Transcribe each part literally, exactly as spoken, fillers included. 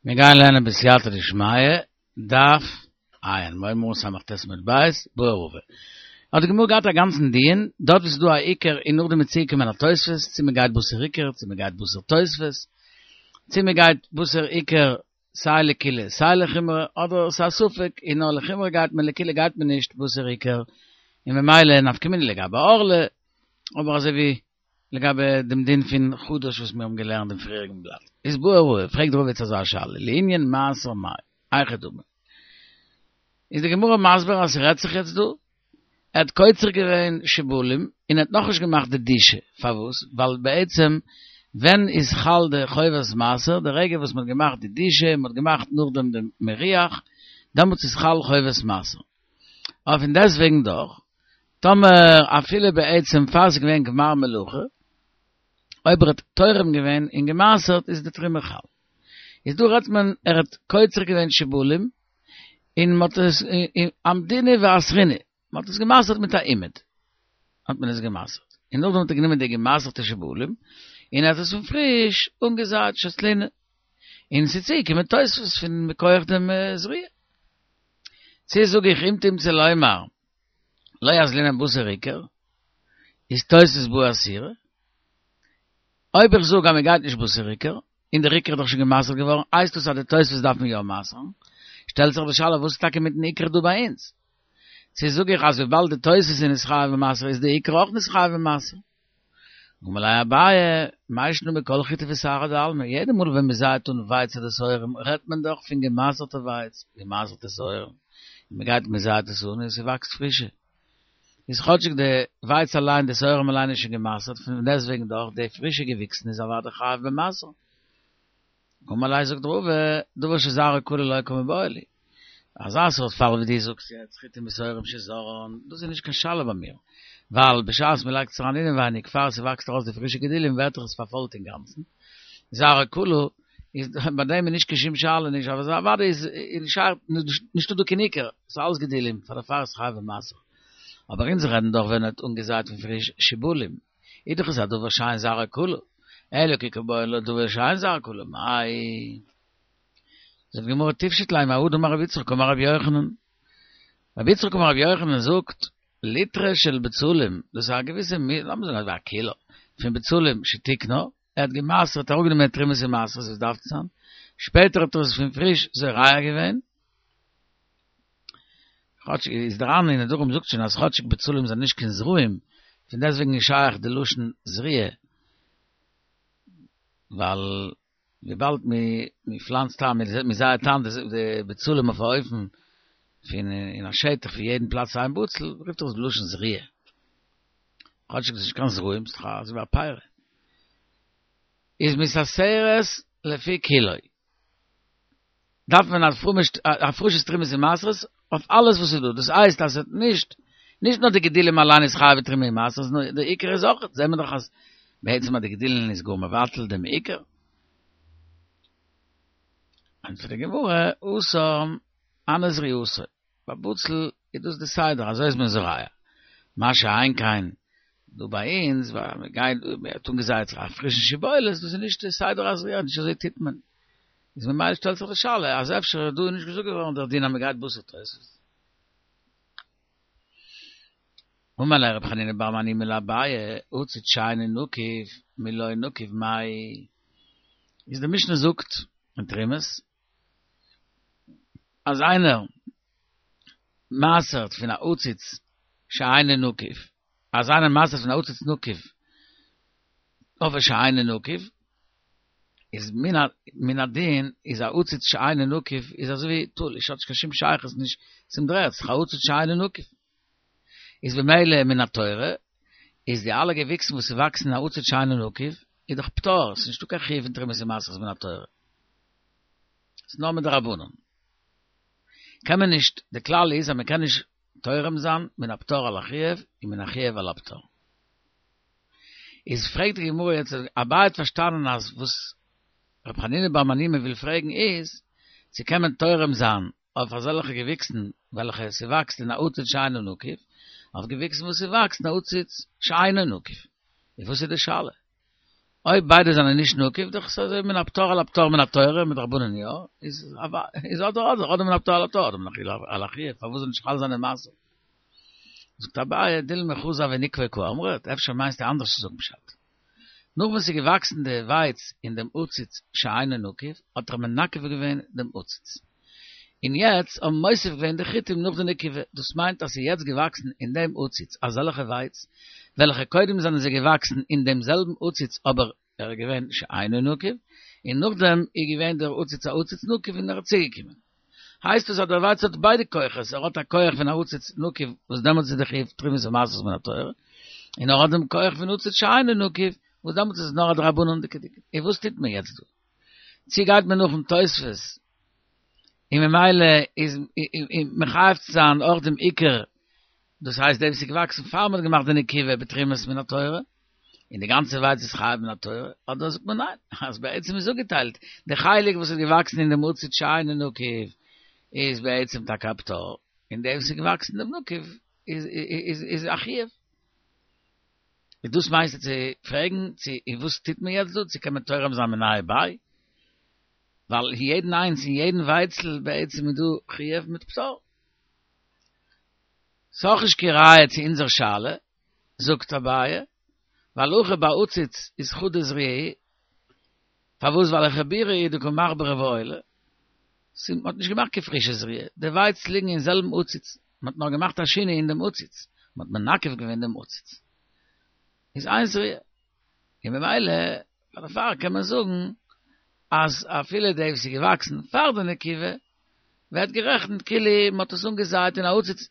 מיר גייען לערנען בסייעתא דשמיא, דף עיין, מורה סמך טית עמוד בית, בעי רבא. האט די גמרא געהאט א גאנצן דיון, דארט וואו ס'איז דא א עיקר און נאכדעם איז צוגעקומען א תוספות, צו מ'גייט בתר עיקר, צו מ'גייט בתר תוספות, צו מ'גייט בתר עיקר סיי לקולא סיי לחומרא, אדער ס'איז א ספק און נאר לחומרא גייט מען לקולא גייט מען נישט בתר עיקר, און ממילא נפקא מינה לגבי ערלה, אבער אזוי ווי לגבי דעם דין פון חדש וואס מיר האבן געלערנט דעם פריעריגן בלאט. איז בעי רבא, פרעגט רבא יעצט אזא שאלה, לענין מעשר מאי, היכי דמי. איז די גמרא מסביר אז ס'רעדט זיך יעצט דא, ער האט קוצר געווען שיבולים און ער האט נאכנישט געמאכט די דישא, פארוואס? ווייל בעצם ווען איז חל די חובת מעשר, די רגע וואס מ'האט געמאכט די דישא און מ'האט געמאכט נאכדעם די מירוח, דעמאלטס איז חל חובת מעשר. אבער פון דעסטוועגן דאך, טאמער אפילו בעצם פאר ס'איז געווען גמר מלאכה, אויב ער האט תורם געווען און גע'מעשר'ט איז די תרומה חל. איז דא רעדט מען ער האט קוצר געווען שיבולים און מ'האט עס אמדינהו ואסרינהו, מ'האט עס גע'מעשר'ט מיט א אומד האט מען עס גע'מעשר'ט, און נאכדעם האט ער גענומען די גע'מעשר'טע שיבולים און ער האט עס פון פריש אנגעזייט שתלינהו, און ס'איז צוגעקומען תוספות פון מכח דעם זריעה. צו זאג איך אם תמצא לומר לא אזלינן בתר עיקר, איז תוספות בעי איסורא. אויב איך זאג אז מען גייט נישט בתר עיקר, און דער עיקר איז דאך שוין גע'מעשר'ט געווארן, הייסט דאס אז די תוספות דארף מען יא מעשר'ן? שטעלט זיך די שאלה וואס איז טאקע מיטן עיקר דא ביי אונז? צו זאג איך אז וויבאלד די תוספות איז נתחייב במעשר איז די עיקר אויך נתחייב במעשר? אמר ליה אביי, מאי שנא מכל חיטי ושערי דעלמא, יעדע מאל ווען מען זייעט אן ווייץ אדער שעורים רעדט מען דאך פון געמעשר'טע ווייץ, געמעשר'טע שעורים, און מען גייט מען זייעט עס אן און ס'וואקסט פרישע. איז כאטשיג די ווייץ אליין, די שעורים אליין איז שוין געמעשר'ט, פון דעסטוועגן דאך די פרישע געוויקסן איז אוודאי חייב במעשר. אמר ליה זאגט רבא, דבר שזרעו כלול לא קמיבעיא לי. אזא סארט פאל ווי דו זאגסט יעצט, חיטים ושעורים שזרען, דאס איז נישט קיין שאלה ביי מיר, ווייל בשעת מען לייגט עס אריין אינעווייניג פאר ס'וואקסט ארויס די פרישע גידולים ווערט דאך עס פארפוילט אינגאנצן, זרעו כלול, איז ביי דעם איז נישט קיין שום שאלה נישט, אבער אוודאי איז נישטא דא קיין עיקר, ס'איז אלעס גידולים, פאר דערפאר איז חייב במעשר. אבער אונז רעדן דאך ווען ער האט אנגעזייט פון פריש שיבולים, איז דאך עס א דבר שאין זרעו כלול, אלא כי קא בעיא לדבר שאין זרעו כלול, מאי? זאגט די גמרא תפשוט ליה מהא דאמר רבי יצחק אמר רבי יוחנן, רבי יצחק אמר רבי יוחנן זאגט, ליטרא של בצלים, דאס איז א געוויסע, לאמיר זאגן אזוי א קילא, פון בצלים שתיקנה, ער האט גע'מעשר'ט, אראפגענומען תרומות און מעשרות ווי עס דארף צו זיין, שפעטער האט ער עס פון פריש זורע געווען, כאטש איז דער ר"ן אין נדרים זאגט שוין אז כאטשיג בצלים זענען נישט קיין זרעים, פון דעסטוועגן איז שייך די לשון זריעה, ווייל וויבאלד מען פלאנצט איין, מען זייעט איין די בצלים אויף א אופן פון אין א שטח פון יעדן פלאץ איין בצל, רופט זיך עס בלשון זריעה. כאטשיג ס'איז נישט קיין זרעים, ס'איז דאך אזוי ווי א פרי. איז מתעשרת לפי קילו. דארף מען הפרשת תרומות ומעשרות אויף אלעס וואס איז דא, דאס הייסט אז עס האט נישט, נישט נאר די גידולים אליין איז חייב בתרומה ומעשרות, נאר די עיקר איז אויך, זעהן מיר דאך אז בעצם אז די גידולין איז גאר מבטל דעם עיקר. ענטפערט די גמרא, התם הני זריעתו, ביי בצל איז דאס די סדר, אזוי איז מען זורע. מה שאין כן דא ביי אונז, ווייל מען גייט, מען האט אנגעזייט זיך א פרישן שיבולת, דאס איז נישט די סדר הזריעה, נישט אזוי טוט מען. איז ממילא שטעלט זיך די שאלה, אז אפשר איז דא נישט געזאגט געווארן דער דין אז מען גייט בתר תוספות. אמר ליה רב חנינא בר מניומי לאביי, עציץ שאינו נקוב מלא נקוב מאי. איז די משנה זאגט אין תרומות, אז איינער מעשר'ט פון א עציץ שאינו נקוב, אז איינער מעשר'ט פון א עציץ נקוב אויף א שאינו נקוב, איז מן הדין איז א עציץ שאינו נקוב איז אזוי ווי תלוש, האט נישט קיין שום שייכות נישט צום דר'ערד, ס'איז א עציץ שאינו נקוב. איז במילא מן התורה איז די אלע געוויקסן וואס ס'וואקסן אין א עציץ שאינו נקוב איז דאך פטור, ס'איז נישטא קיין חיוב פון תרומות ומעשרות מן התורה. ס'איז נאר מדרבנן. קען מען נישט, די כלל איז אז מען קען נישט תורם זיין מן הפטור על החיוב און מן החיוב על הפטור. איז פרעגט די גמרא יעצט, אביי האט פארשטאנען אז וואס ר' חנינא בר מניומי וויל פרעגן איז, צו קען מען תורם זיין אויף אזעלכע געוויקסן וועלכע ס'וואקסט אין א עציץ שאינו נקוב, אויף געוויקסן וואס ס'וואקסט אין א עציץ שאינו נקוב. איז וואס איז די שאלה? אויב ביידע זענען נישט נוקב, דאך איז אזוי מן הפטור על הפטור מן התורה, מדרבנן יא, איז איז אדער אדער, אדער מן הפטור על הפטור, אדער מן החיוב על החיוב, פארוואס זאל נישט חל זיין די מעשר? זאגט אביי, דילמא חזר וניקבו קאמרת, אפשר מיינסטו אנדערש צו זאגן פשט. נאך וואס ס'איז געוואקסן די ווייץ אין דעם עציץ שאינו נקוב, האט ער מנקב געווען דעם עציץ. און יעצט האבן מוסיף געווען די חיטים נאך די נקיבה, דאס מיינט אז ס'איז יעצט געוואקסן אין דעם עציץ אזעלכע ווייץ, וועלכע קודם זענען זיי געוואקסן אין דעם זעלבן עציץ אבער ער איז געווען שאינו נקוב, און נאכדעם איז געווען דער עציץ א עציץ נקוב און ער איז צוגעקומען. הייסט עס אז דער ווייץ האט ביידע כוחות, ער האט א כח פון א עציץ נקוב וואס דעמאלטס איז די חיוב תרומות ומעשרות מן התורה, און ער האט דעם כח פון עציץ שאינו נקוב וואס דעמאלטס איז עס נאר א דרבנן'דיגע דין. און וואס טוט מען יעצט דא? צו גייט מען נאכן תוספות און ממילא איז מחייב צו זיין אויך דעם עיקר, דאס הייסט דעם וואס איז געוואקסן פאר מען האט געמאכט די נקיבה בתרומות מן התורה, און די גאנצע ווייץ איז חייב מן התורה, אדער זאגט מען ניין, אז בעצם איז אפגעטיילט, די חלק וואס איז געוואקסן אין דעם עציץ שאינו נקוב איז בעצם טאקע א פטור, און דעם וואס איז געוואקסן אין דעם נקוב איז איז איז א חיוב. איז דאס מיינסטו צו פרעגן צו און וואס טוט מען יעצט דא, צו קען מען תורם זיין מיניה וביה? ווייל יעדן איינס אין יעדן ווייצל בעצם איז דא חיוב מיט פטור. ס'איז נישט קיין ראיה צו אונזער שאלה, זאגט אביי, ווייל הכא ביי עציץ איז חדא זריעה, פארוואס ווייל לחיבורי הוא דקא מחברי ועיילי, מ'האט נישט געמאכט קיין פרישע זריעה, די ווייץ ליגן אין זעלבן עציץ, מ'האט נאר געמאכט א שינוי אין דעם עציץ, מ'האט מנקב געווען דעם עציץ, איז איין זריעה, און ממילא דערפאר קען מען זאגן אז אפילו די וואס איז געוואקסן פאר די נקיבה ווערט גערעכנט כאילו מ'האט עס אנגעזייט אין א עציץ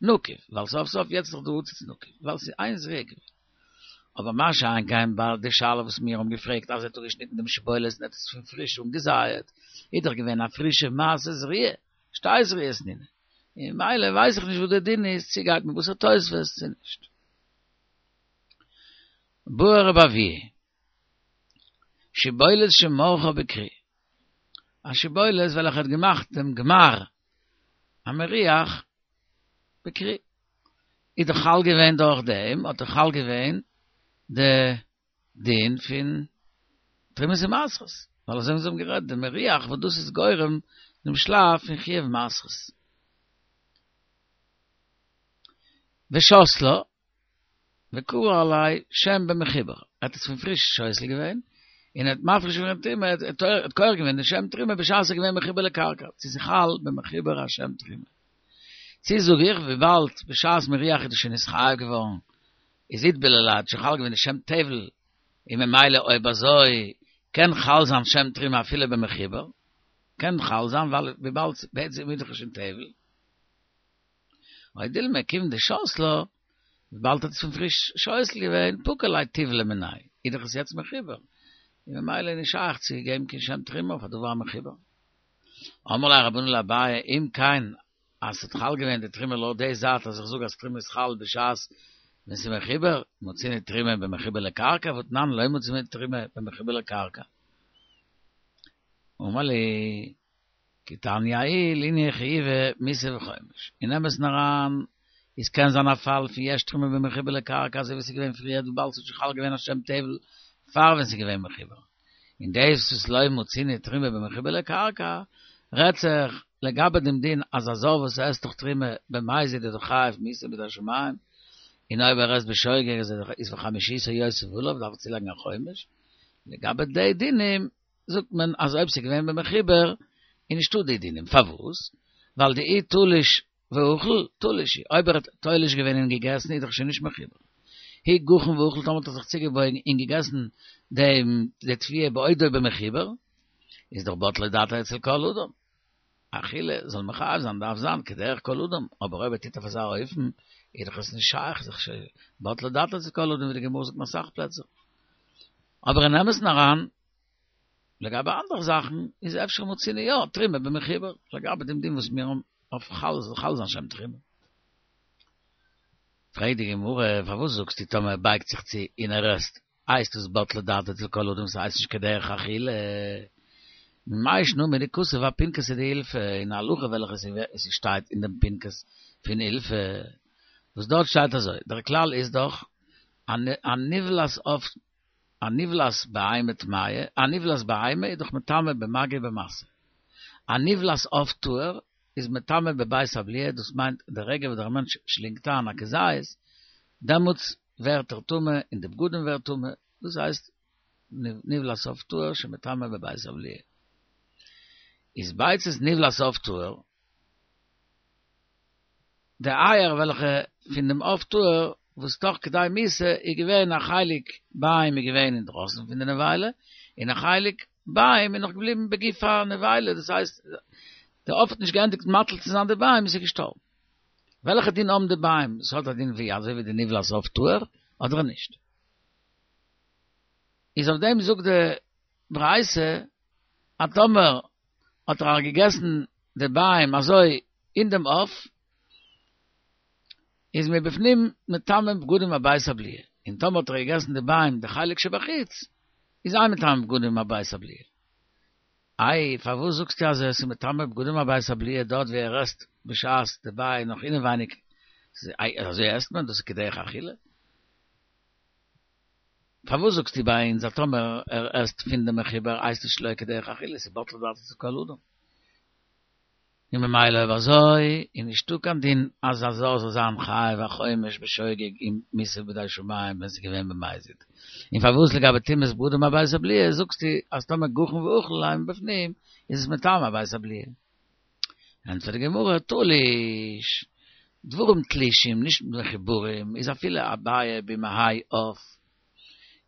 נקוב, ווייל סוף סוף יעצט איז דאך דא עציץ נקוב, ווייל ס'איז איין זריעה געווען. אבער מה שאין כן ביי די שאלה וואס מיר האבן געפרעגט אז ער האט אפגעשניטן דעם שיבולת און האט עס פון פריש אנגעזייעט, איז דאך געווען א פרישע מעשה זריעה, שתי זריעות נינהו, און ממילא ווייס איך נישט וואס דער דין איז, צו גייט מען בתר תוספות צו נישט. בעי רבי אבהו, שיבולת שמרחה בכרי, א שיבולת וועלכע האט געמאכט דעם גמר המריח בכרי, איז דאך חל געווען דורך דעם, האט דאך חל געווען די דין פון תרומות ומעשרות, ווייל אזוי ווי אונז האבן גערעדט, די מריח וואס דאס איז גורם דעם שלב פון חיוב מעשרות. ושתלה, וקרי עליה שם במחובר, ער האט עס פון פריש שותל געווען, און ער האט מפריש געווען תרומה, ער האט כורך געווען די שם תרומה בשעת עס איז געווען מחובר לקרקע, צו ס'איז חל במחובר א שם תרומה. צו זאג איך, וויבאלד בשעת מריח איז דאס שוין נתחייב געווארן, איז איטבול עליה האט שוין חל געווען די שם טבל, און ממילא אויב אזוי קען חל זיין שם תרומה אפילו במחובר, קען חל זיין ווייל וויבאלד בעצם איז דאך שוין טבל. או דילמא כיון דשתלה, וויבאלד האט עס פון פריש שותל געווען, פקע ליה טיבלא מיניה, איז דאך עס יעצט מחובר, און ממילא איז נישט שייך צו געבן קיין שם תרומה אויף א דבר המחובר. אמרו ליה רבנן לאביי, אם כן, אז ס'האט חל געווען די תרומה לויט די זייט אז איך זאג אז תרומה איז חל בשעת ווען ס'איז מחובר, מצינו תרומה במחובר לקרקע, והתנן לא מצינו תרומה במחובר לקרקע. אמר להו, כי תניא ההיא לענין חיובי מיתה וחומש. אין אמת'ן אריין, איז קען זיין א פאל פון יש תרומה במחובר לקרקע אזוי ווי ס'איז געווען פריער וויבאלד ס'האט שוין חל געווען א שם טבל פאר ווען ס'איז געווען מחובר. און דאס וואס לא מצינו תרומה במחובר לקרקע רעדט זיך לגבי דעם דין אז א זר וואס עסט דאך תרומה במזיד איז דאך חייב מיתה בידי שמים, און אויב ער עסט בשוגג איז וחמישיתו יוסיף עליו דארף ער צולייגן א חומש. לגבי די דינים זאגט מען אז אויב ס'איז געווען במחובר איז נישטא די דינים, פארוואס? ווייל דאי תלש ואכל תלוש הוא, אויב ער האט תולש געווען און געגעסן איז דאך שוין נישט מחובר. אי גחין ואכל טאמער האט ער זיך צוגעבויגן און געגעסן דעם די תבואה בעודו במחובר, איז דאך בטלה דעתו אצל כל אדם. אכילה זאל מחייב זיין דארף זיין כדרך כל אדם, אבער אויב ער טוט אויף אזא אופן איז דאך עס נישט שייך, איז דאך שוין בטלה דעתו אצל כל אדם ווי די גמרא זאגט אין אסאך פלעצער. אבער אין אמת'ן אריין, לגבי אנדערע זאכן איז אפשר מצינו יא תרומה במחובר, לגבי דעם דין וואס מיר האבן אויף חל זאל חל זיין שם תרומה. פרעגט די גמרא, פארוואס זאגסטו טאמער ער בייגט זיך צו און ער עסט, הייסט עס בטלה דעתו אצל כל אדם ס'הייסט נישט כדרך אכילה? מאי שנא מדכתיב אפינקסא דאילפא, אין א הלכה וועלכע ס'שטייט אין דעם פנקס פון אילפא, וואס דארט שטייט אזוי, דער כלל איז דאך א נבלת עוף א נבלת בהמה טמאה, א נבלת בהמה איז דאך מטמא במגע ובמשא. א נבלת עוף טהור איז מטמא בבית הבליעה, דאס מיינט די רגע וואס דער מענטש שלינגט איין א כזית, דעמאלטס ווערט ער טמא און די בגדים ווערט טמא, דאס הייסט נבלת עוף טהור שמטמא בבית הבליעה. איז ביצת נבלת עוף טהור, די אייער וועלכע פון דעם עוף טהור וואס תוך כדי מיתה איז געווען א חלק ביעים איז געווען אינדרויסן פון די נבילה, און א חלק ביעים איז נאך געבליבן בגוף הנבילה, דאס הייסט די עוף האט נישט געענדיגט מטיל צו זיין די ביעים איז ער געשטארבן. וועלכע דין האבן די ביעים? עס האט א דין ווי אזוי ווי די נבלת עוף טהור אדער נישט? איז אויף דעם זאגט די ברייתא אז טאמער האט ער געגעסן די ביעים אזוי אין דעם עוף, איז מבפנים מטמא בגדים ובית הבליעה, און טאמער האט ער געגעסן די ביעים די חלק שבחוץ, איז אין מטמא בגדים ובית הבליעה. איי, פארוואס זאגסטו אז עס איז מטמא בגדים ובית הבליעה דארט ווי ער עסט בשעת די ביעים נאך אינעווייניג, אזוי עסט מען? דאס איז כדרך אכילה? פארוואס זאגסטו ביי אונז אז טאמער ער עסט פון די מחובר הייסט עס שלא כדרך אכילה, ס'איז בטלה דעתו אצל כל אדם. און ממילא אויב אזוי איז נישטא קיין דין אז א זר זאל זיין חייב א חומש בשוגג אין מיתה בידי שמים ווען ס'איז געווען במזיד. און פארוואס לגבי טומאת בגדים ובית הבליעה זאגסטו אז טאמער גחון ואכל ליה מבפנים איז עס מטמא בית הבליעה? ענטפערט די גמרא, תלוש, דברים תלושים נישט מחוברים איז אפילו א ביעא במעי עוף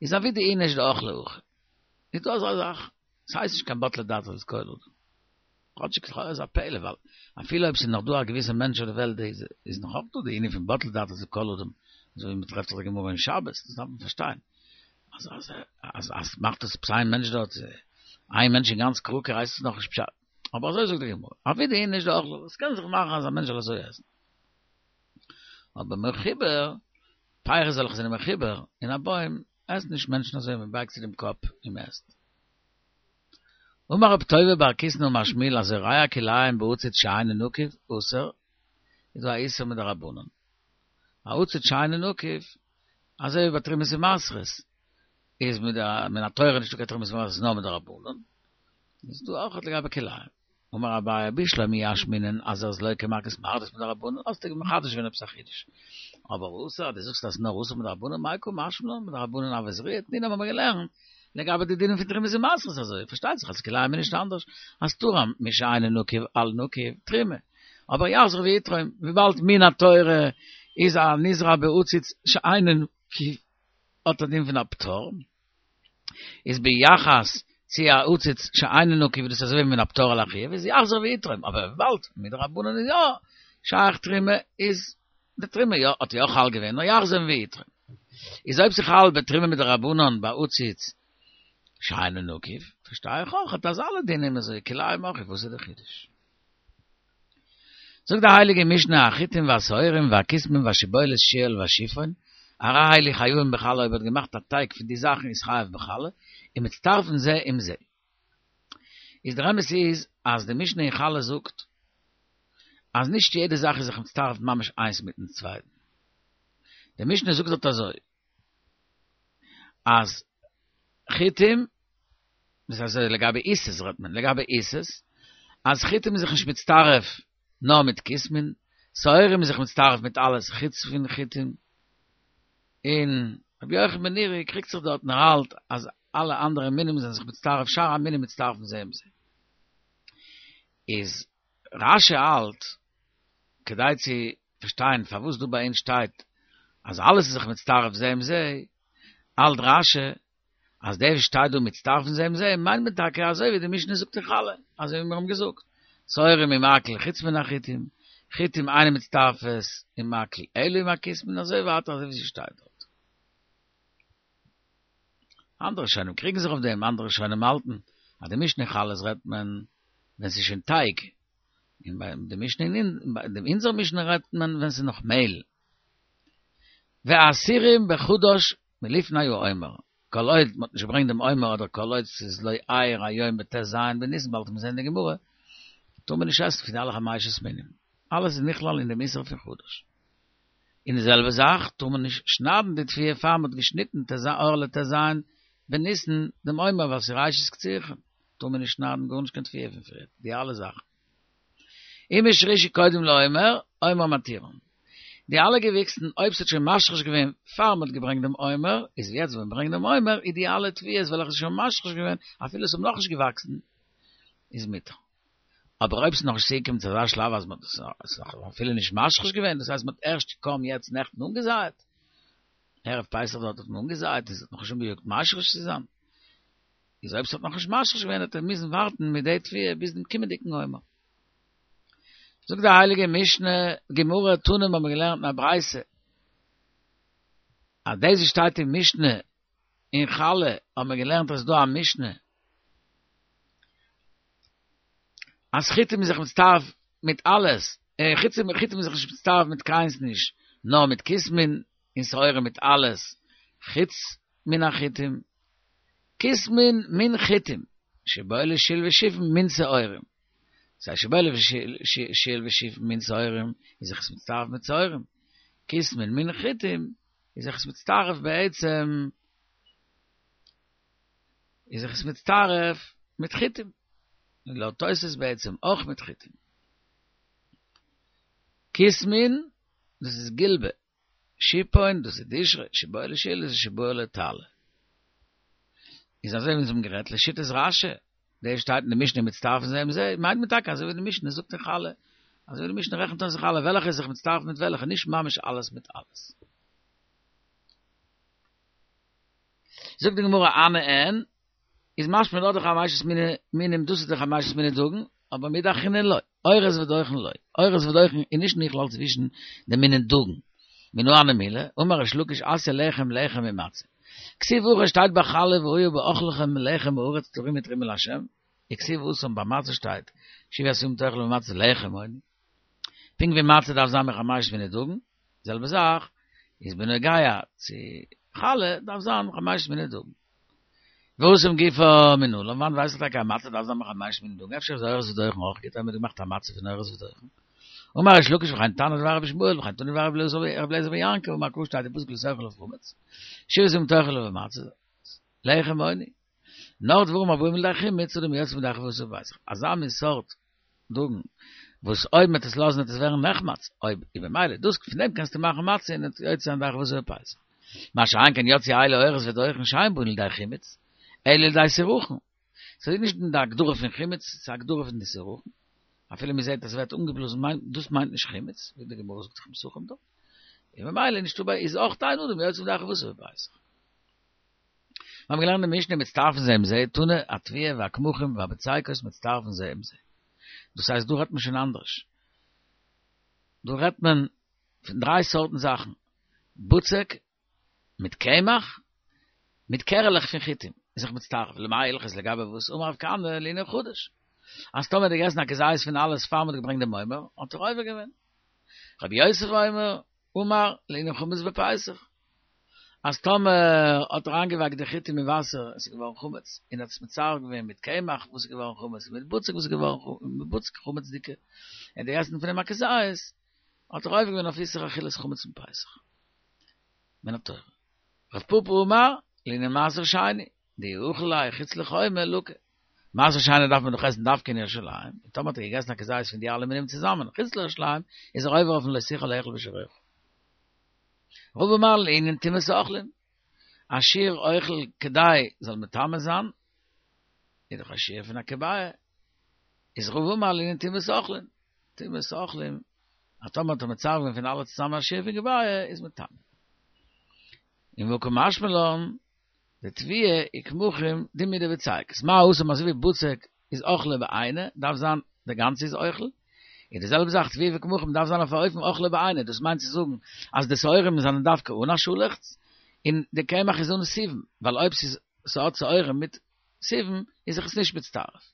איז עבידא איניש דאכלה הכי. איז דא אזא זאך? ס'הייסט נישט קיין בטלה דעתו אצל כל אדם. כאטשיג לכאורה איז א פלא ווייל אפילו אויב ס'איז נאך דא א געוויסע מענטש אויף די וועלט איז איז נאך אויך דא די ענין פון בטלה דעתו אצל כל אדם אזוי ווי מ'טרעפט זיך די גמרא אין שבת דאס דארף מען פארשטיין אז אז אז אז מאכט עס עפעס איין מענטש דארט איין מענטש אין גאנץ קראקע הייסט עס נאכנישט פשט אבער אזוי זאגט די גמרא עבידא איניש דאכלה עס קען זיך מאכן אז א מענטש זאל אזוי עסן אבער מחובר פירות וועלכע זענען מחובר אין א בוים עסן נישט מענטשן אזוי מען בייגט צו דעם קאפ און מען עסט. אמר רב טובי בר קיסנא אמר שמואל הזורע כלאים בעציץ שאינו נקוב אסור, איז דא א איסור מדרבנן. א עציץ שאינו נקוב, אזוי ווי ביי תרומות ומעשרות, איז מן התורה נישטא קיין תרומות ומעשרות נאר מדרבנן, איז דא אויך לגבי כלאים. אמר אביי בשלמא אי אשמעינן אז ער איז לוקה מכות מרדות מדרבנן, האסטו מחדש געווען עפעס א חידוש. אבער אסור אז דו זאגסט אז נאר אסור מדרבנן מאי קא משמע לן מדרבנן הוי זריעה תנינא האבן מיר געלערנט לגבי די דינים פון תרומות ומעשרות אזוי פארשטייט זיך אז כלאים איז נישט אנדערש אז תרם משאינו נקוב על נקוב תרומה אבער יחזור ויתרום וויבאלד מן התורה איז א נזרע בעציץ שאינו נקוב האט א דין פון א פטור איז ביחס צו א עציץ שאינו נקוב איז דאס אזוי ווי מן הפטור על החיוב איז יחזור ויתרום אבער וויבאלד מדרבנן איז יא שייך תרומה איז די תרומה יא האט יא חל געווען נאר יחזור ויתרום איז אויב ס'חל בתרומה מדרבנן בעציץ שאינו נקוב פארשטיי איך אויך אז אלע דינים אזוי כלאים אויך וואס איז די חידוש? זאגט די הייליגע משנה החיטים והשעורים והכסמין והשיבולת שועל והשיפון הרי אלו חייבים בחלה אויב האט געמאכט א טייג פון די זאכן איז חייב בחלה און מצטרפין זה עם זה איז דער אמת איז אז די משנה אין חלה זאגט אז נישט יעדע זאך איז זיך מצטרף ממש איינס מיטן צווייטן. די משנה זאגט דארט אזוי, אז חיטים, דאס הייסט לגבי עיסות רעדט מען, לגבי עיסות, אז חיטים איז זיך נישט מצטרף נאר מיט כוסמין, שעורים איז זיך מצטרף מיט אלעס חוץ פון חיטים, און רבי יוחנן בן נורי קריגט זיך דארט און ער האלט אז אלע אנדערע מינים זענען זיך מצטרף, שאר המינים מצטרפים זה עם זה. איז רש"י האלט, כדי צו פארשטיין פארוואס דא ביי אונז שטייט אז אלעס איז זיך מצטרף זה עם זה, האלט רש"י אז דער וואס שטייט דא מצטרפין זה עם זה מיינט מען טאקע אזוי ווי די משנה זאגט אין חלה, אזוי ווי מיר האבן געזאגט, שעורים עם הכל חוץ מן החיטים, חיטים אינן מצטרפות עם הכל אלא עם הכוסמין, אזוי ווייטער אזוי ווי ס'שטייט דארט. אנדערע ראשונים קריגן זיך אויף דעם, אנדערע ראשונים האלטן אז די משנה אין חלות רעדט מען ווען ס'איז שוין טייג, און ביי די משנה אין ביי אונזער משנה רעדט מען ווען ס'איז נאך מעהל. והאסורים בחדש מלפני העומר, כל עוד מ'האט נישט געברענגט דעם עומר אדער כל עוד ס'איז לא אירע היום בט"ז בניסן באלד וועט מען זעהן אין די גמרא, טאר מען נישט עסן פון די אלע חמשת מינים, אלעס איז נכלל אין דעם איסור פון חדש. און די זעלבע זאך טאר מען נישט שניידן די תבואה פאר מ'האט געשניטן ט"ז אור לט"ז בניסן דעם עומר, ווייל ס'איז ראשית קצירכם, טאר מען נישט שניידן גארנישט קיין תבואה פון פריער, די אלע זאכן. אם השרישו קודם לעומר, עומר מתירן. די אלע געוויקסן, אויב ס'האט שוין משריש געווען פאר מ'האט געברענגט דעם עומר, איז יעצט ווען מ'ברענגט דעם עומר, איז די אלע תבואות וועלכע איז שוין משריש געווען, אפילו עס האבן נאכנישט געוואקסן, איז מותר. אבער אויב ס'איז נאכנישט צוגעקומען צו אזא שלב אז מ'האט עס נאך אפילו נישט משריש געווען, דאס הייסט מ'האט ערשט קוים יעצט נעכטן אנגעזייעט, ערב פסח דארט האט מען אנגעזייעט, עס האט נאכנישט אנגעיאגט משריש צו זיין, איז אויב ס'האט נאכנישט משריש געווען וועט ער מוזן ווארטן מיט די תבואה ביז דעם קומענדיגן עומר. זאגט די הייליגע משנה, גמרא, תנא האבן מיר געלערנט אין א ברייתא, אז דאס וואס שטייט אין משנה אין חלה האבן מיר געלערנט אז ס'איז דא א משנה אז חיטים איז זיך מצטרף מיט אלעס, חיטים איז זיך נישט מצטרף מיט קיינס נישט, נאר מיט כוסמין און שעורים מיט אלעס, חוץ מן החיטים, כוסמין מן חיטים, שיבולת שול ושיפון מן שעורים. סיי שיבולת שול ושיפון מן שעורים איז זיך עס מצטרף מיט שעורים, כוסמין מן חיטים איז זיך עס מצטרף בעצם איז זיך עס מצטרף מיט חיטים, און לויט תוס' בעצם אויך מיט חיטים. כוסמין דאס איז גילבא, שיפון דאס איז דשרא, שיבולת שול איז שיבולת טלה. איז אזוי ווי אונז האבן גערעדט לשיטת רשי, דער שטייט אין די משנה מצטרפין זה עם זה, מיינט מען טאקע אזוי ווי די משנה זאגט אין חלה, אזוי ווי די משנה רעכנט אויס אין חלה וועלכע איז זיך מצטרף מיט וועלכע, נישט ממש אלעס מיט אלעס. זאגט די גמרא הני אין, איז משמע דארט די חמשת מיני מינים דאס איז די חמשת מיני דגן, אבער מידי אחרינא לא, אורז ודוחן לא, אורז ודוחן איז נישט נכלל צווישן די מיני דגן, מנא הני מילי, אמר ריש לקיש אתיא לחם לחם ממצה. כתיב הכא שטייט ביי חלה והיה באכלכם לחם הארץ תרימו תרומה לה', וכתיב התם ביי מצה שטייט שבעת ימים תאכלו מצות לחם עוני. פונקט ווי מצה דארף זיין מחמשת מיני דגן, זעלבע זאך איז בנוגע צו חלה דארף זיין מחמשת מיני דגן. והתם גופא מנלן, וואנעט ווייס איך טאקע אז מצה דארף זיין מחמשת מיני דגן, אפשר איז אורז ודוחן אויך גוט, האבן מיר געמאכט א מצה פון אורז ודוחן. אמר ריש לקיש וכן תנא דבי רבי ישמעאל וכן תנא דבי רבי אליעזר בן יעקב אמר קרא שטייט אין פסוק לא תאכלו חמץ שבעת ימים תאכלו מצות לחם עוני נאר דברים הבאים לידי חימוץ אדם יוצא ידי חובתו בפסח אזא מין סארט דגן וואס אויב מ'וועט עס לאזן וועט עס ווערן נחמץ אויב איז במילא דאס פון דעם קענסטו מאכן מצה און יוצא זיין ידי חובתו בפסח מה שאין כן יצאו אלו אורז ודוחן שאין באין לידי חימוץ אלא לידי סירחון ס'איז נישט אין די הגדרה פון חימוץ ס'איז א הגדרה פון די סירחון אפילו מען זעט אז ס'ווערט אנגעבלאזן מיינט דאס מיינט נישט חימוץ, ווי די גמרא זאגט אין פסחים דא. און ממילא נישטא ביי איז אויך אין אדם יוצא ידי חובתו בפסח. מיר האבן געלערנט די משנה מצטרפין זה עם זה, תנא, התבואה והקמחים והבצקות מצטרפין זה עם זה. דאס הייסט דא רעדט מען שוין אנדערש. דא רעדט מען פון דריי סארטן זאכן, בצק מיט קמח, מיט קערעלעך פון חיטים, איז זיך מצטרף, למאי הלכתא לגבי וואס, אמר רב כהנא לענין חדש, אז טאמער האט ער געגעסן א כזית פון אלעס פאר מ'האט געברענגט דעם עומר, האט ער עובר געווען. רב יוסף אומר, אמר לענין חמץ בפסח, אז טאמער האט ער איינגעווייקט די חיטים אין וואסער, עס איז געווארן חמץ, און האט עס מצרף געווען מיט קמח וואס איז געווארן חמץ, און מיט בצק וואס איז געווארן מיט בצק חמצ'דיגע, און האט געגעסן פון דעם א כזית, האט ער עובר געווען אויף איסור אכילת חמץ אין פסח. מן התורה. רב פפא אמר, לענין מעשר שני, דאי אכיל ליה חוץ לחומה לקי. מעשר שני דארף מען דאך עסן דווקא אין ירושלים, און טאמער האט ער געגעסן א כזית פון די אלע מינים צוזאמען חוץ לירושלים, איז ער עובר אויפן לא תוכל לאכול בשעריך. רבא אמר לענין טומאת אוכלים, א שיעור אוכל כדי זאל מטמא זיין, איז דאך א שיעור פון א כביעה, איז רבא אמר לענין טומאת אוכלים, טומאת אוכלים, אז טאמער האט ער מצרף געווען פון אלע צוזאמען א שיעור פון כביעה איז מטמא. און והא קא משמע לן, דתבואה וקמחים דומיא דבצקות. מה התם אזוי ווי בצק איז אוכלא בעיניה, דארף זיין די גאנצע איז אוכל, איז די זעלבע זאך תבואה וקמחים דארף זיין אויף א אופן אוכלא בעיניה, דאס מיינט צו זאגן אז די שעורים זענען דווקא אן א שאלעכץ, און די קמח איז אן סיבים, ווייל אויב ס'איז ס'האט שעורים מיט סיבים איז זיך עס נישט מצטרף.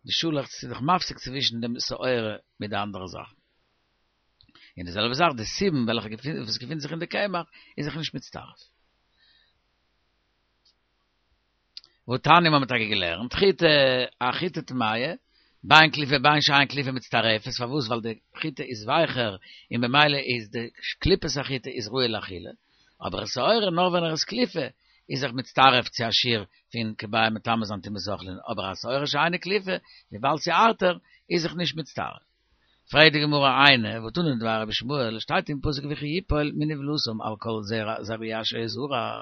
די שאלעכץ איז דאך מפסיק צווישן דעם שעורה מיט די אנדערע זאכן. און די זעלבע זאך די סיבים וועלכע וואס געפינט זיך אין די קמח איז זיך נישט מצטרף. והתניא מ'האט טאקע געלערנט, חיטה, א חיטה טמאה, בין קליפה בין שאין קליפה מצטרפת, פארוואס? ווייל די חיטה איז ווייכער און במילא איז די קליפת החיטה איז ראוי לאכילה, אבער שעורה נאר ווען ער איז קליפה, איז זיך מצטרף צו א שיעור פון כביעה מטמא זיין טומאת אוכלין, אבער א שעורה שאינה קליפה, וויבאלד ס'איז הארטער, איז זיך נישט מצטרף. פרעגט די גמרא איני, והתנא דבי רבי ישמעאל, שטייט אין פסוק וכי יפול מנבלתם על כל זרוע אשר יזרע.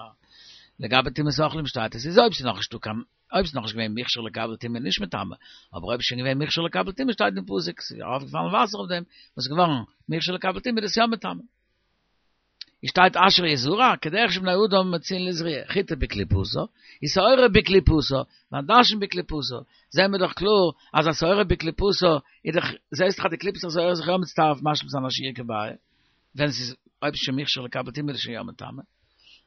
לגבי טומאת אוכלים שטייט עס איז אויב ס'איז נאכנישט דא קיין אויב ס'איז נאכנישט געווען מוכשר לקבל טומאה נישט מטמא, אבער אויב איז שוין געווען מוכשר לקבל טומאה שטייט אין פסוק ס'איז ארויפגעפאלן וואסער אויף דעם וואס איז געווארן מוכשר לקבל טומאה איז עס יא מטמא. איז שטייט אשר יזרע, כדרך שבני אדם מוציאין לזריעה, חיטה בקליפתה, איז שעורה בקליפתה, ועדשים בקליפתה, זעהן מיר דאך קלאר אז א שעורה בקליפתה איז דאך, זעהסט דאך אז די קליפת השעורה איז זיך יא מצטרף משלים זיין א שיעור כביעה, ווען ס'איז אויב ס'איז שוין מוכשר לקבל טומאה איז עס שוין יא מטמא.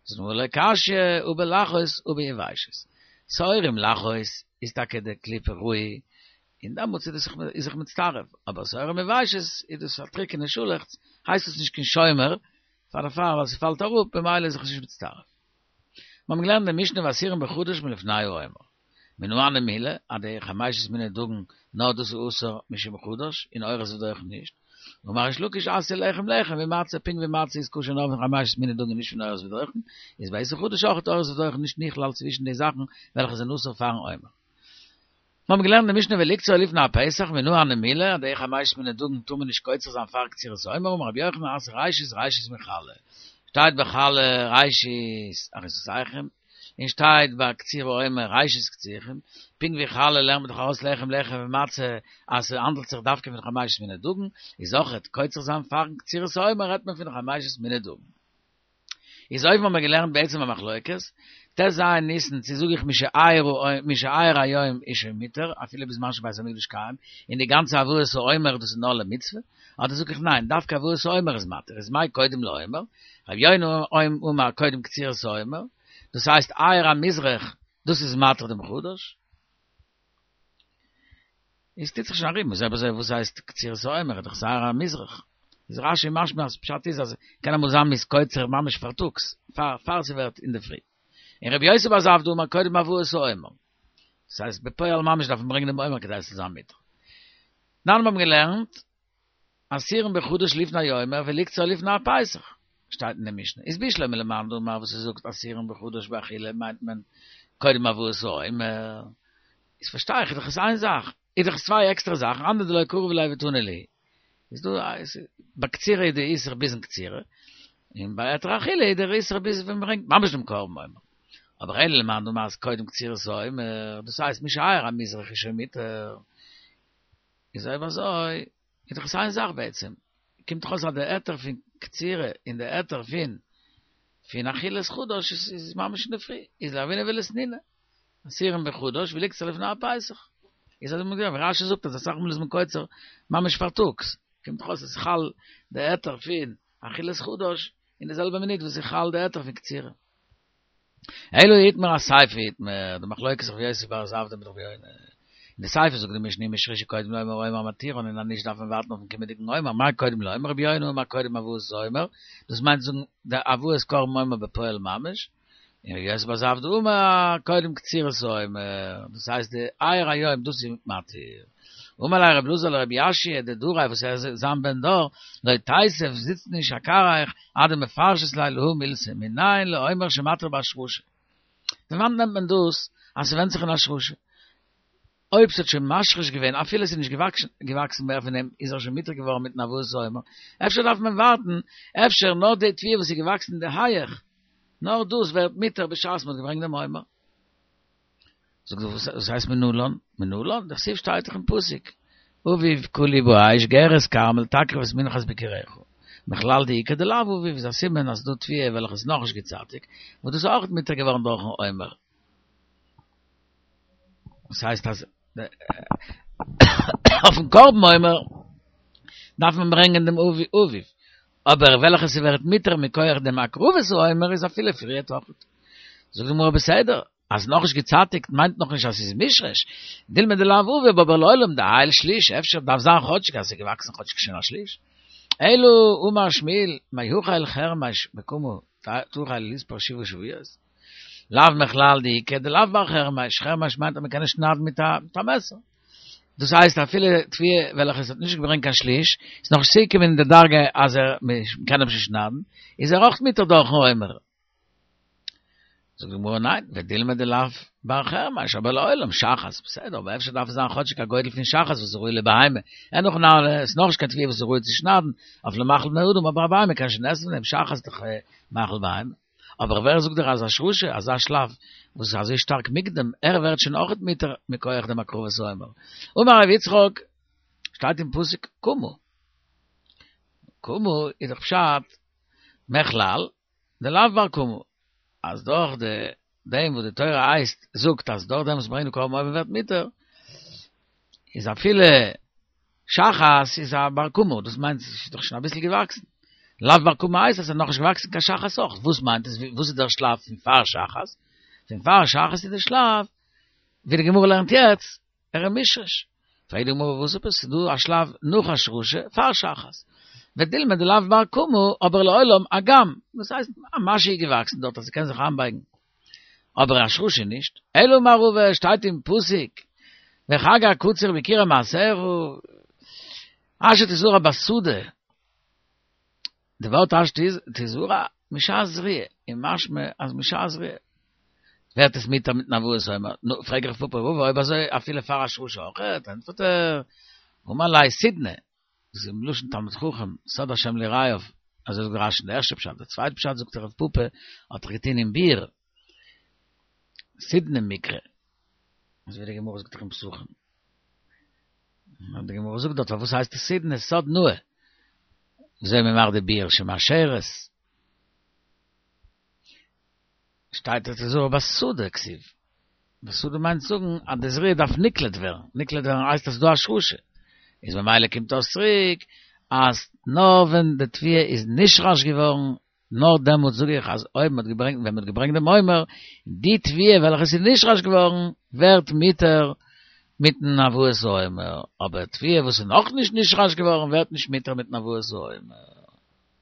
זאגט די גמרא לא קשיא הא בלחות הא ביבשות. שעורים לחות איז טאקע די קליפה רוי, און דעמאלטס איז דאס איז זיך מצטרף, אבער שעורים יבשות איז דאס א טריקענע שאלעכץ, הייסט עס נישט קיין שומר, פאר דערפאר ווייל ס'פאלט אראפ במילא איז זיך נישט מצטרף. מיר האבן געלערנט אין די משנה ואסורים בחדש מלפני העומר. מנא הני מילי, אז די חמשת מיני דגן, נאר דאס איז אסור משום חדש, און אורז ודוחן נישט. אמר ריש לקיש אתיא לחם לחם ומצה, פונקט ווי מצה איז כשר נאר פון חמשת מיני דגן נישט פון אורז ודוחן, איז ביי איסור חדש אויך אורז ודוחן נישט נכלל צווישן די זאכן וועלכע זענען אסור פארן עומר. מיר האבן געלערנט די משנה ולקצור לפני הפסח מנא הני מילי, אז די חמשת מיני דגן טאר מען נישט קוצר זיין פאר קצירת העומר, אמר רבי יוחנן אתיא ראשית ראשית מחלה, שטייט ביי חלה ראשית אריסותיכם, און שטייט ביי קציר העומר ראשית קצירכם, פונקט ווי חלה לערנט מען דאך ארויס לחם לחם ומצה אז ס'האנדלט זיך דווקא פון חמשת מיני דגן, איז אויכעט קוצר זיין פארן קצירת העומר רעדט מען פון חמשת מיני דגן. איז אויבן האבן מיר געלערנט בעצם א מחלוקת, ט"ז ניסן צו זאג איך משאייר היום איז שוין מותר אפילו בזמן שבית המקדש קיים, און די גאנצע הבאת העומר דאס איז נאר למצוה, אדער זאג איך ניין דווקא הבאת העומר איז מתיר, איז מאי קודם לעומר, רבי יונה אמר קודם קצירת העומר, דאס הייסט אייר המזרח דאס איז מתיר דעם חדש. איז טוט זיך שוין ארום, איז אויב אזוי וואס הייסט קצירת העומר, איז דאך שעיר המזרח. איז רש"י משמע אז פשט איז אז קען אמאל זיין מ'איז קוצר ממש פארטאגס, פאר פאר ס'ווערט אינדערפרי. און רבי יוסי בר זבדא אמר קודם הבאת העומר. דאס הייסט בפועל ממש דארף מען ברענגען דעם עומר כדי עס זאל זיין מותר. דאן האבן מיר געלערנט אסורים בחדש לפני העומר ולקצור לפני הפסח, שטייט אין די משנה. איז בשלמא למאן דאמר וואס עס זאגט אסורים בחדש באכילה מיינט מען קודם הבאת העומר. איז פארשטיי איך איז דאך עס איין זאך, איז דאך עס צוויי עקסטערע זאכן, אנדערע דלא קרוב ליה ותנא להו. איז דא איז ביי קצירה איז די איסור ביזן קצירה, און ביי היתר אכילה איז דער איסור ביז ווען מ'ברענגט ממש דעם קרבן עומר. אבער אלא למאן דאמר אז קודם קצירת העומר, דאס הייסט משאייר המזרח איז שוין מותר, איז אויב אזוי איז דאך עס איין זאך בעצם, קומט דאך אויס אז די היתר פון קצירה און די היתר פון פון אכילת חדש איז איז ממש אינדערפרי, איז לרבינא ולתנינא, אסורים בחדש ולקצור לפני הפסח. איז אזוי מ'געזען ווי רש"י זאגט אז אסאך מאל איז מען קוצר ממש פארטאגס, קומט דאך אויס אז ס'חל די היתר פון אכילת חדש אין די זעלבע מינוט וואס ס'חל די היתר פון קצירה. אלא איתמר אסיפא איתמר, די מחלוקת רבי יוסי בר זבדא מיט רבי יונה. אין די סיפא זאגט די משנה אם השרישו קודם לעומר העומר מתירן און אז נישט דארף מען ווארטן אויפן קומענדיגן עומר, מאי קודם לעומר רבי יונה אמר קודם הבאת העומר, דאס מיינט זאגן די הבאת קרבן עומר בפועל ממש, און רבי יוסי בר זבדא אמר קודם קצירת העומר, דאס הייסט די אייר היום דאס איז מתיר. אמר ליה רבי אלעזר לרבי יאשיה די דוריה וואס ער איז זיין בן דור, לא תיתיב זיצט נישט אכרעיך עד דמפרשת ליה להא מילתא, מנין לעומר שמתיר בהשרשה. פון וואנעט נעמט מען דאס אז ס'ווענדט זיך אין השרשה? אויב ס'האט שוין משריש געווען אפילו ס'איז נישט געוואקסן מער פון דעם איז ער שוין מותר געווארן מיטן הבאת העומר, אפשר דארף מען ווארטן, אפשר נאר די תבואה וואס איז געוואקסן אין די הייעך, נאר דאס ווערט מותר בשעת מ'האט געברענגט דעם עומר. זאגט ער וואס הייסט מנלן? מנלן? דכתיב שטייט דאך אין פסוק אביב קלי באש גרש כרמל תקריב את מנחת ביכוריך מכלל דאיכא דלאו אביב איז א סימן אז ס'דא תבואה וועלכע איז נאכנישט געצייטיג וואס דאס איז אויך מותר געווארן דורכן עומר. דאס הייסט אז אויפן קרבן עומר דארף מען ברענגען דעם אביב, אבער וועלכע ס'ווערט מותר מכח דעם הקרבת העומר איז אפילו פריערט אויך. זאגט די גמרא בסדר, אז נאכנישט געצייטיגט מיינט נאכנישט אז ס'איז מושרש, דילמא דלאו אביב אבער לעולם דעייל שליש, אפשר דארף זיין כאטשיג אז ס'איז געוואקסן כאטשיג שוין א שליש. אלא אמר שמואל, מהחל חרמש בקמה תחל לספור שבעה שבועות? לאו מכלל דאיכא דלאו בר חרמש, חרמש מיינט אז מ'קען נישט שניידן מיט א מעסער. דאס הייסט אפילו תבואה וועלכע עס האט נישט געברענגט קיין שליש, איז נאכנישט צוגעקומען אין די דרגה אז ער מ'קען אים שוין שניידן, איז ער אויך מותר דורכן עומר. זאגט די גמרא ניין, ודילמא דלאו בר חרמש, אבער לעולם, שחת, בסדר, אבער אפשר דארף עס זיין כאטשיג א גודל פון שחת וואס איז ראוי לבהמה, אין הכי נמי, עס איז נאכנישט קיין תבואה וואס איז ראוי צו שניידן, אויף למאכל בני אדם, אבער א בהמה קען שוין עסן פון דעם, שחת איז דאך מאכל בהמה. אבער ווער זאגט דיר אז השרשה, אזא שלב וואס איז אזוי שטארק מוקדם, ער ווערט שוין אויכעט מותר מכח דעם הקרבת העומר. אמר ר' יצחק, שטייט אין פסוק קמה. קמה איז דאך פשט מכלל דלאו בר קמה, אז דורך די דעם וואס די תורה הייסט זאגט אז דורך דעם וואס מ'ברענגט די קרבן עומר ווערט מותר, איז אפילו שחת איז א בר קמה, דאס מיינט ס'איז דאך שוין אביסל געוואקסן. לאו בר קמה הייסט אז ס'איז נאכנישט געוואקסן קיין שחת אויך. וואס מיינט עס? וואס איז דער שלב פון פאר שחת? פון פאר שחת איז דער שלב, ווי די גמרא לערנט יעצט, ער איז מושרש. פרעגט די גמרא וואס עפעס? ס'איז דא א שלב נאך השרשה פאר שחת. ודילמא דלאו בר קמה, אבער לעולם אגם, דאס הייסט א משהו איז געוואקסן דארט אז ס'קען זיך איינבייגן. אבער השרשה נישט. אלא אמר רבא, שטייט אין פסוק, וחג הקציר בכירי מעשיך, אשר תזרע בשדה, די ווארט אשר תזרע משעת זריעה, און משמע אז משעת זריעה ווערט עס מותר מיטן הבאת עומר, נו, פרעג איך רב פפא ורבא אויב אזוי אפילו פאר השרשה אויכעט, ענטפערט ער, אמר ליה סודנא, דאס איז מלשון תלמיד חכם, סוד השם ליראיו, אזוי זאגט רשי אין די ערשטע פשט, די צווייטע פשט זאגט רב פפא האט ער געטון אין ביר, סודנא מיקרי, אזוי ווי די גמרא זאגט דאך אין פסחים. די גמרא זאגט דארט פארוואס הייסט עס סודנא סוד נאה, וויאזוי מען מאכט די ביר שמאשרת, שטייט אשר תזרע בשדה כתיב, בשדה מיינט זאגן אז די זריעה דארף נקלט ווערן, נקלט ווערן הייסט אז ס'איז דא השרשה, איז ממילא קומט אויס צוריק אז נאר ווען די תבואה איז נשרש געווארן נאר דעמאלט זאג איך אז אויב מ'האט געברענגט ווען מ'האט געברענגט דעם עומר, די תבואה וועלכע איז נשרש געווארן ווערט מותר מיטן הבאת העומר, אבער תבואה וואס איז נאכנישט נשרש געווארן ווערט נישט מותר מיטן הבאת העומר.